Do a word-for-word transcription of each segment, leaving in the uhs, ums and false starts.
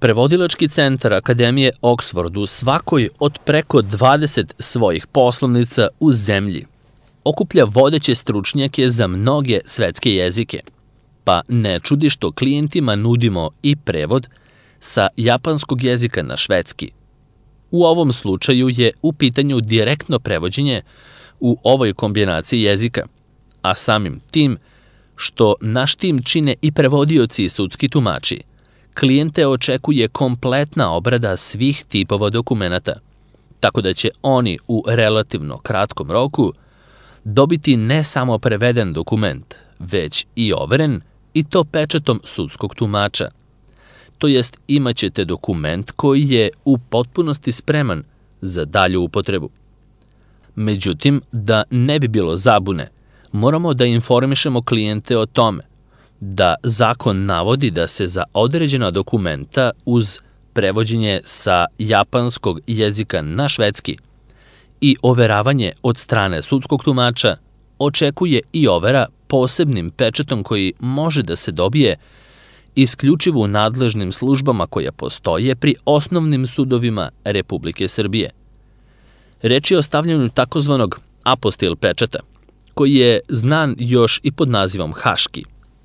Prevodilački centar Akademije Oxford u svakoj od preko dvadeset svojih poslovnica u zemlji okuplja vodeće stručnjake za mnoge svetske jezike, pa ne čudi što klijentima nudimo i prevod sa japanskog jezika na švedski. U ovom slučaju je u pitanju direktno prevođenje u ovoj kombinaciji jezika, a samim tim što naš tim čine i prevodioci i sudski tumači, klijente očekuje kompletna obrada svih tipova dokumenata, tako da će oni u relativno kratkom roku dobiti ne samo preveden dokument, već i overen, i to pečatom sudskog tumača. To jest, imaćete dokument koji je u potpunosti spreman za dalju upotrebu. Međutim, da ne bi bilo zabune, moramo da informišemo klijente o tome da zakon navodi da se za određena dokumenta uz prevođenje sa japanskog jezika na švedski i overavanje od strane sudskog tumača očekuje i overa posebnim pečatom koji može da se dobije isključivo u nadležnim službama koje postoje pri osnovnim sudovima Republike Srbije. Reč je o stavljanju takozvanog apostil pečata, koji je znan još i pod nazivom haški,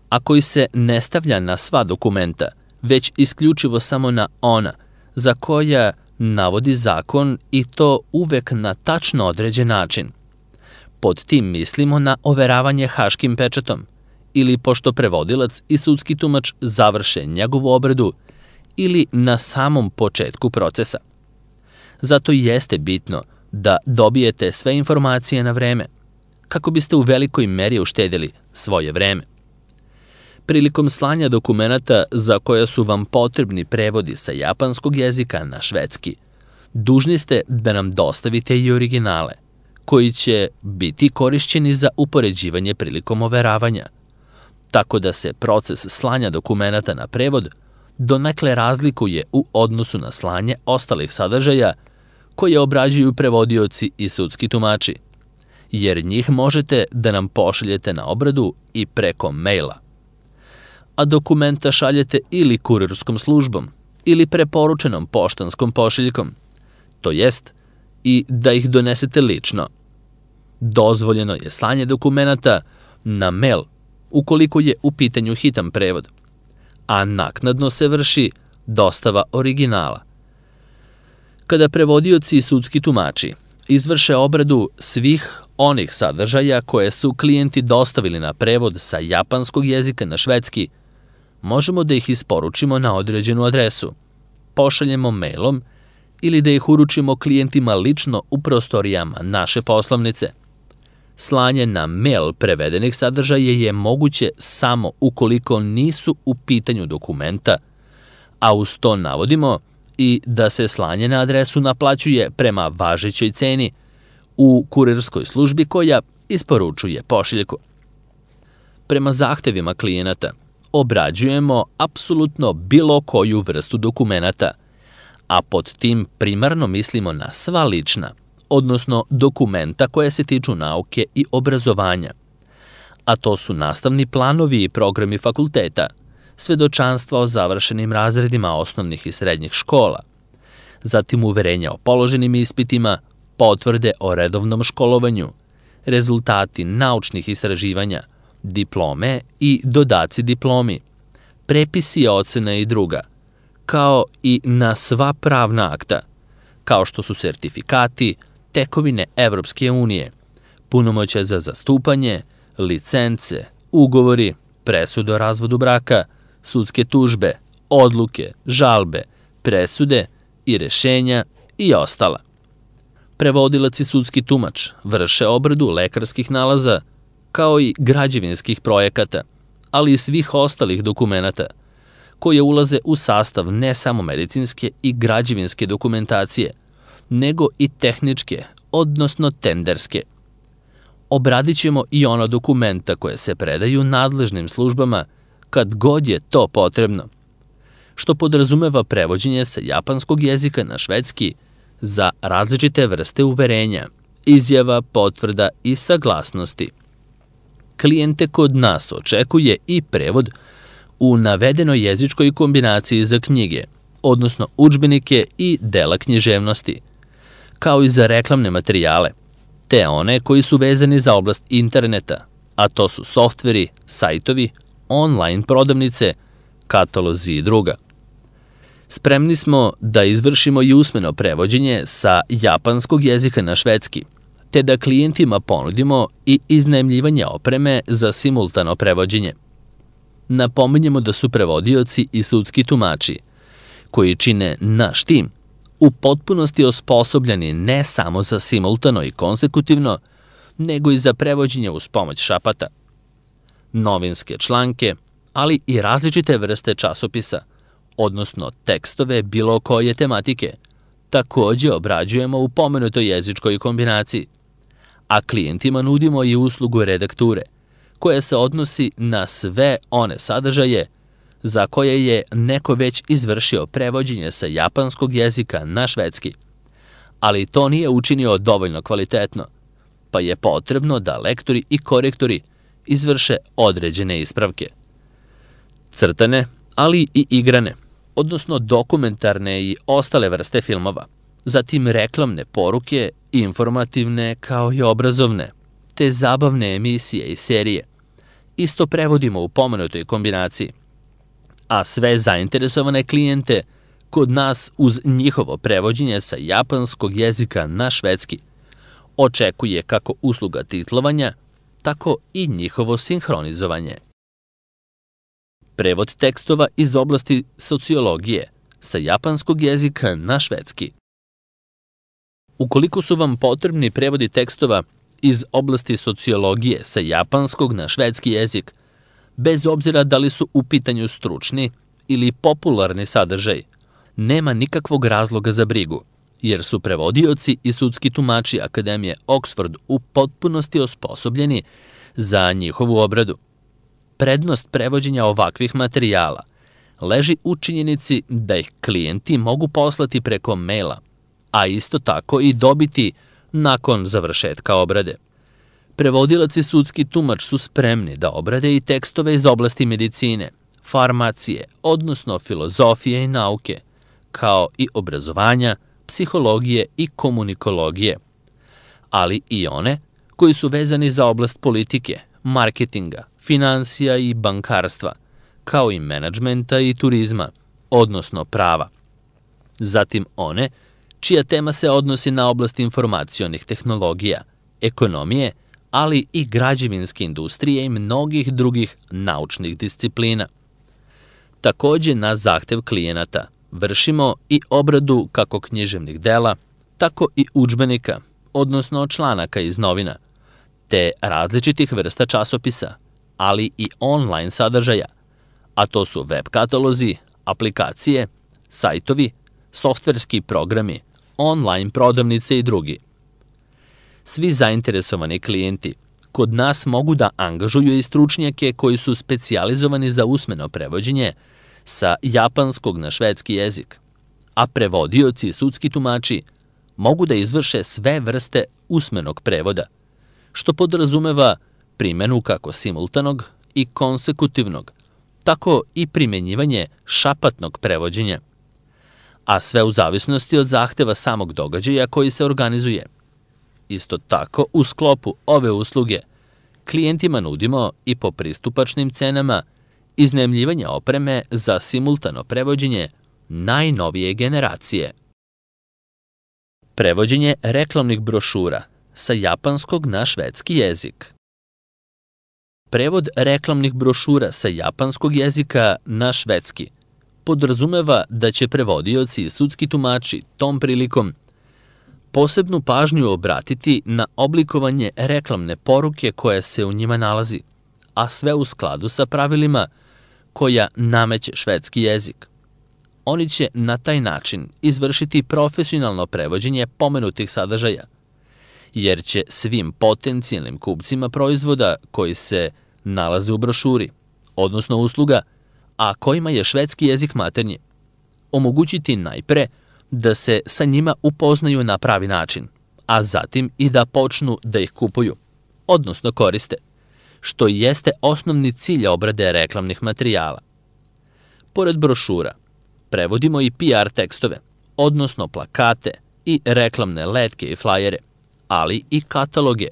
a koji se ne stavlja na sva dokumenta, već isključivo samo na ona za koja navodi zakon, i to uvek na tačno određen način. Pod tim mislimo na overavanje haškim pečatom, ili pošto prevodilac i sudski tumač završe njegovu obradu, ili na samom početku procesa. Zato jeste bitno da dobijete sve informacije na vreme, kako biste u velikoj meri uštedili svoje vreme. Prilikom slanja dokumenata za koja su vam potrebni prevodi sa japanskog jezika na švedski, dužni ste da nam dostavite i originale, koji će biti korišćeni za upoređivanje prilikom overavanja, tako da se proces slanja dokumenata na prevod donekle razlikuje u odnosu na slanje ostalih sadržaja koje obrađuju prevodioci i sudski tumači, jer njih možete da nam pošaljete na obradu i preko maila. A dokumenta šaljete ili kurirskom službom ili preporučenom poštanskom pošiljkom, to jest i da ih donesete lično. Dozvoljeno je slanje dokumenata na mail ukoliko je u pitanju hitan prevod, a naknadno se vrši dostava originala. Kada prevodioci i sudski tumači izvrše obradu svih onih sadržaja koje su klijenti dostavili na prevod sa japanskog jezika na švedski, možemo da ih isporučimo na određenu adresu, pošaljemo mailom ili da ih uručimo klijentima lično u prostorijama naše poslovnice. Slanje na mail prevedenih sadržaja je moguće samo ukoliko nisu u pitanju dokumenta, a uz to navodimo i da se slanje na adresu naplaćuje prema važećoj ceni u kurirskoj službi koja isporučuje pošiljku. Prema zahtevima klijenata obrađujemo apsolutno bilo koju vrstu dokumenata, a pod tim primarno mislimo na sva lična, odnosno dokumenta koje se tiču nauke i obrazovanja, a to su nastavni planovi i programi fakulteta, svedočanstva o završenim razredima osnovnih i srednjih škola, zatim uverenja o položenim ispitima, potvrde o redovnom školovanju, rezultati naučnih istraživanja, diplome i dodaci diplomi, prepisi ocena i druga, kao i na sva pravna akta, kao što su sertifikati, tekovine Evropske unije, punomoćja za zastupanje, licence, ugovori, presude o razvodu braka, sudske tužbe, odluke, žalbe, presude i rešenja i ostala. Prevodilac i sudski tumač vrše obradu lekarskih nalaza, kao i građevinskih projekata, ali i svih ostalih dokumenata, koje ulaze u sastav ne samo medicinske i građevinske dokumentacije, nego i tehničke, odnosno tenderske. Obradit ćemo i ona dokumenta koje se predaju nadležnim službama kad god je to potrebno, što podrazumeva prevođenje sa japanskog jezika na švedski za različite vrste uverenja, izjava, potvrda i saglasnosti. Klijente kod nas očekuje i prevod u navedenoj jezičkoj kombinaciji za knjige, odnosno udžbenike i dela književnosti, kao i za reklamne materijale, te one koji su vezani za oblast interneta, a to su softveri, sajtovi, online prodavnice, katalozi i druga. Spremni smo da izvršimo i usmeno prevođenje sa japanskog jezika na švedski, te da klijentima ponudimo i iznajmljivanje opreme za simultano prevođenje. Napominjemo da su prevodioci i sudski tumači, koji čine naš tim, u potpunosti osposobljeni ne samo za simultano i konsekutivno, nego i za prevođenje uz pomoć šapata. Novinske članke, ali i različite vrste časopisa, odnosno tekstove bilo koje tematike, takođe obrađujemo u pomenutoj jezičkoj kombinaciji, a klijentima nudimo i uslugu redakture, koja se odnosi na sve one sadržaje za koje je neko već izvršio prevođenje sa japanskog jezika na švedski, ali to nije učinio dovoljno kvalitetno, pa je potrebno da lektori i korektori izvrše određene ispravke. Crtane, ali i igrane, odnosno dokumentarne i ostale vrste filmova, zatim reklamne poruke, informativne kao i obrazovne, te zabavne emisije i serije, isto prevodimo u pomenutoj kombinaciji, a sve zainteresovane klijente kod nas uz njihovo prevođenje sa japanskog jezika na švedski očekuje kako usluga titlovanja, tako i njihovo sinhronizovanje. Prevod tekstova iz oblasti sociologije sa japanskog jezika na švedski. Ukoliko su vam potrebni prevodi tekstova iz oblasti sociologije sa japanskog na švedski jezik, bez obzira da li su u pitanju stručni ili popularni sadržaj, nema nikakvog razloga za brigu, jer su prevodioci i sudski tumači Akademije Oxford u potpunosti osposobljeni za njihovu obradu. Prednost prevođenja ovakvih materijala leži u činjenici da ih klijenti mogu poslati preko maila, a isto tako i dobiti nakon završetka obrade. Prevodilac i sudski tumač su spremni da obrade i tekstove iz oblasti medicine, farmacije, odnosno filozofije i nauke, kao i obrazovanja, psihologije i komunikologije, ali i one koji su vezani za oblast politike, marketinga, finansija i bankarstva, kao i menadžmenta i turizma, odnosno prava. Zatim one čija tema se odnosi na oblast informacionih tehnologija, ekonomije, ali i građevinske industrije i mnogih drugih naučnih disciplina. Takođe, na zahtev klijenata vršimo i obradu kako književnih dela, tako i udžbenika, odnosno članaka iz novina, te različitih vrsta časopisa, ali i online sadržaja, a to su web katalozi, aplikacije, sajtovi, softverski programi, online prodavnice i drugi. Svi zainteresovani klijenti kod nas mogu da angažuju i stručnjake koji su specijalizovani za usmeno prevođenje sa japanskog na švedski jezik, a prevodioci i sudski tumači mogu da izvrše sve vrste usmenog prevoda, što podrazumeva primenu kako simultanog i konsekutivnog, tako i primenjivanje šapatnog prevođenja, a sve u zavisnosti od zahteva samog događaja koji se organizuje. Isto tako, u sklopu ove usluge, klijentima nudimo i po pristupačnim cenama iznajmljivanje opreme za simultano prevođenje najnovije generacije. Prevođenje reklamnih brošura sa japanskog na švedski jezik. Prevod reklamnih brošura sa japanskog jezika na švedski podrazumeva da će prevodioci i sudski tumači tom prilikom posebnu pažnju obratiti na oblikovanje reklamne poruke koja se u njima nalazi, a sve u skladu sa pravilima koja nameće švedski jezik. Oni će na taj način izvršiti profesionalno prevođenje pomenutih sadržaja, jer će svim potencijalnim kupcima proizvoda koji se nalaze u brošuri, odnosno usluga, a kojima je švedski jezik maternji, omogućiti najpre da se sa njima upoznaju na pravi način, a zatim i da počnu da ih kupuju, odnosno koriste, što jeste osnovni cilj obrade reklamnih materijala. Pored brošura, Prevodimo i P R tekstove, odnosno plakate i reklamne letke i flajere, ali i kataloge,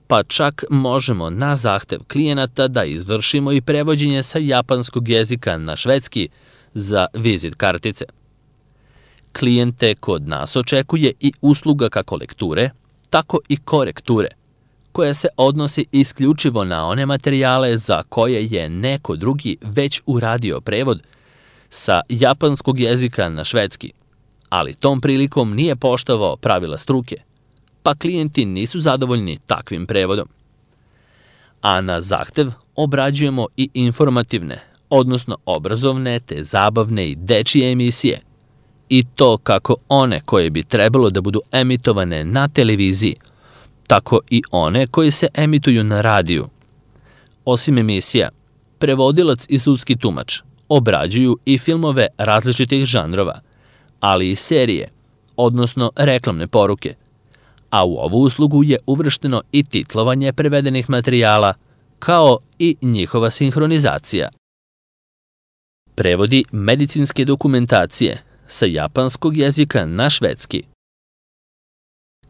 pa čak možemo na zahtev klijenata da izvršimo i prevođenje sa japanskog jezika na švedski za vizit kartice. Klijente kod nas očekuje i usluga kako lekture, tako i korekture, koja se odnosi isključivo na one materijale za koje je neko drugi već uradio prevod sa japanskog jezika na švedski, ali tom prilikom nije poštovao pravila struke, pa klijenti nisu zadovoljni takvim prevodom. A na zahtev obrađujemo i informativne, odnosno obrazovne te zabavne i dečije emisije, i to kako one koje bi trebalo da budu emitovane na televiziji, tako i one koje se emituju na radiju. Osim emisija, prevodilac i sudski tumač obrađuju i filmove različitih žanrova, ali i serije, odnosno reklamne poruke, a u ovu uslugu je uvršteno i titlovanje prevedenih materijala, kao i njihova sinhronizacija. Prevodi medicinske dokumentacije sa japanskog jezika na švedski.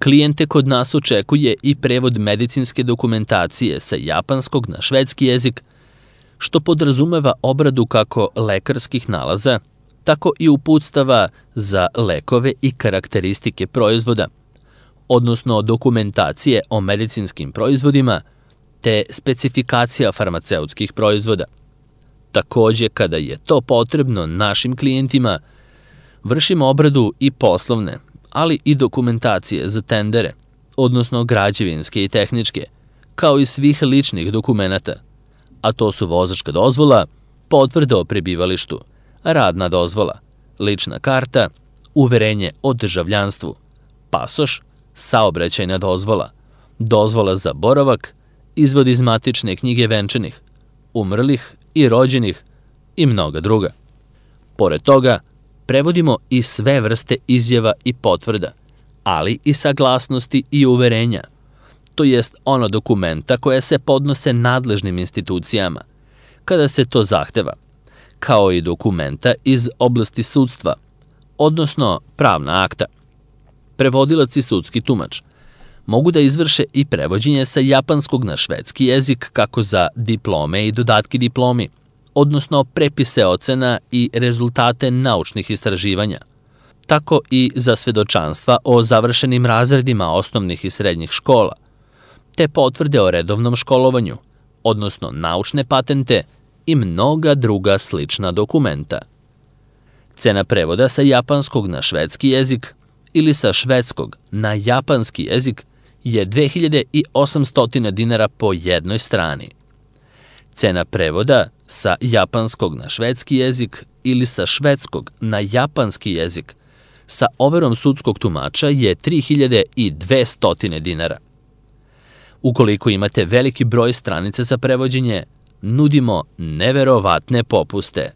Klijente kod nas očekuje i prevod medicinske dokumentacije sa japanskog na švedski jezik, što podrazumeva obradu kako lekarskih nalaza, tako i uputstava za lekove i karakteristike proizvoda, odnosno dokumentacije o medicinskim proizvodima, te specifikacija farmaceutskih proizvoda. Takođe, kada je to potrebno našim klijentima, vršimo obradu i poslovne, ali i dokumentacije za tendere, odnosno građevinske i tehničke, kao i svih ličnih dokumenata, a to su vozačka dozvola, potvrda o prebivalištu, radna dozvola, lična karta, uverenje o državljanstvu, pasoš, saobraćajna dozvola, dozvola za boravak, izvod iz matične knjige venčanih, umrlih i rođenih i mnoga druga. Pored toga, prevodimo i sve vrste izjava i potvrda, ali i saglasnosti i uverenja, to jest ono dokumenta koje se podnose nadležnim institucijama, kada se to zahteva, kao i dokumenta iz oblasti sudstva, odnosno pravna akta. Prevodilac i sudski tumač mogu da izvrše i prevođenje sa japanskog na švedski jezik kako za diplome i dodatke diplomi, odnosno prepise ocena i rezultate naučnih istraživanja, tako i za svedočanstva o završenim razredima osnovnih i srednjih škola, te potvrde o redovnom školovanju, odnosno naučne patente i mnoga druga slična dokumenta. Cena prevoda sa japanskog na švedski jezik ili sa švedskog na japanski jezik je dve hiljade osamsto dinara po jednoj strani. Cena prevoda sa japanskog na švedski jezik ili sa švedskog na japanski jezik sa overom sudskog tumača je tri hiljade dvesta dinara. Ukoliko imate veliki broj stranica za prevođenje, nudimo neverovatne popuste.